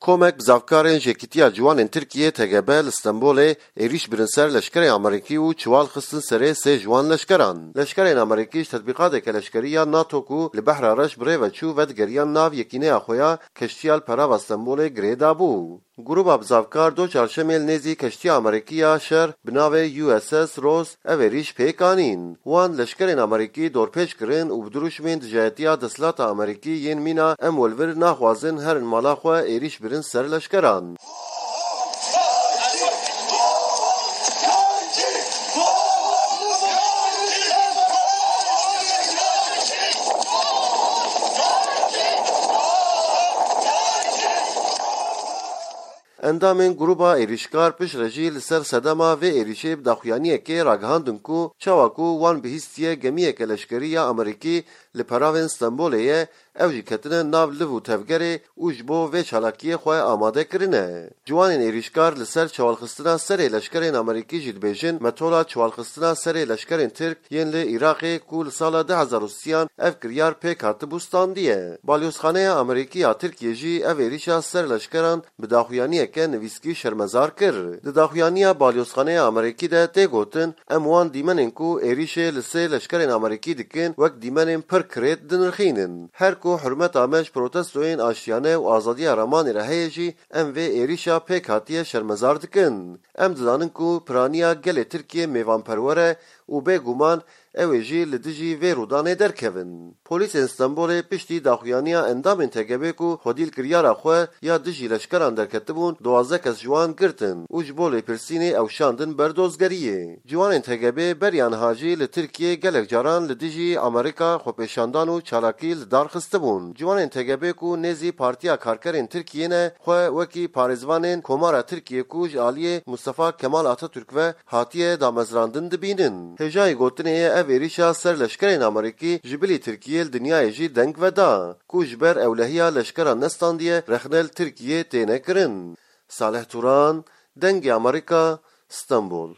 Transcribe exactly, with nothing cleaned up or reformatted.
Komek bizavkarên Yekîtiya Ciwanên Tirkiyê, T G B, li Stenbolê êrîş birin ser leşkerên Amerîkî û çiwal xistin serê sê ji wan leşkeran. Leşkerên Amerîkî ji tetbîqateke leşkerî ya NATO ku li Behra Reş bi rê ve çû, vedigeriyan nav yekîneya xwe ya keştiya li perava Stenbolê girê dabû. Gruba bizavkar do çarşemê li nêzî keştiya Amerîkî ya şer bi navê U S S Ross ev êrîş pêk anîn. Wan leşkerên Amerîkî dorpêç kirin û bi dirûşmên dijayetiya desthilata Amerîkî yên mîna em welvir naxwazin herin mala xwe êrîş birin ser leşkeran. Endamên gruba êrîşkar piştre jî li ser sedema vê êrîşê bi daxuyaniyekê ragihandin ku çawa ku wan bihîstiye gemiyeke leşkerî ya Amerîkî li peravên Stenbolê ye, ew jî ketine nav liv û tevgerê û ji bo vê çalakiyê xwe amade kirine. Ciwanên êrîşkar li ser çewalxistina serê leşkerên Amerîkî jî dibêjin, metola çewalxistina serê leşkerên Tirk yên li Iraqê ku li sala du hezar û sêyan ev kiryar pêk hatibû standiye. Balyozxaneya Amerîkî ya Tirkiyê jî ev êrîşa ser leşkeran bi daxuyaniyeke nivîskî şermezar kir. Di daxuyaniya Balyozxaneya Amerîkî de tê gotin, em wan dîmenên ku êrîşê li sê leşkerên Amerîkî dikin wek dîmenên pir kirêt dinirxînin. Her ku hurmeta me ji protestoyên aştiyane û azadiya ramanê re heye jî, em vê êrîşa pêk hatiye şermezar dikin. Em dizanin ku piraniya gelê Tirkiyê mêvanperwer e û bêguman ew ê jî li dijî vê rûdanê derkevin. Polîsên Stenbolê piştî daxuyaniya endamên T G B ku xwedî li kiryara xwe ya dijî leşkeran derketibûn, duwazdeh kes ji wan girtin û ji bo lêpirsînê ew şandin ber dozgeriyê. Ciwanên T G B beriya niha jî li Tirkiyê gelek caran li dijî Amerîka xwepêşandan û çalakî li dar xistibûn. Ciwanên T G B ku nêzî Partiya Karkerên Tirkiyê ne, xwe wekî parêzvanên Komara Tirkiyê ku ji aliyê Mustafa Kemal Atatürk ve hatiye damezrandin dibînin. Hêjayî gotinê ye ev êrîşa ser leşkerên Amerîkî ji bilî Tirkiyê li dinyayê jî deng veda, ku ji ber ewlehiya leşkeran nestandiye rexne li Tirkiyê têne kirin. Salih Turan, Dengê Amerîka, Stenbol.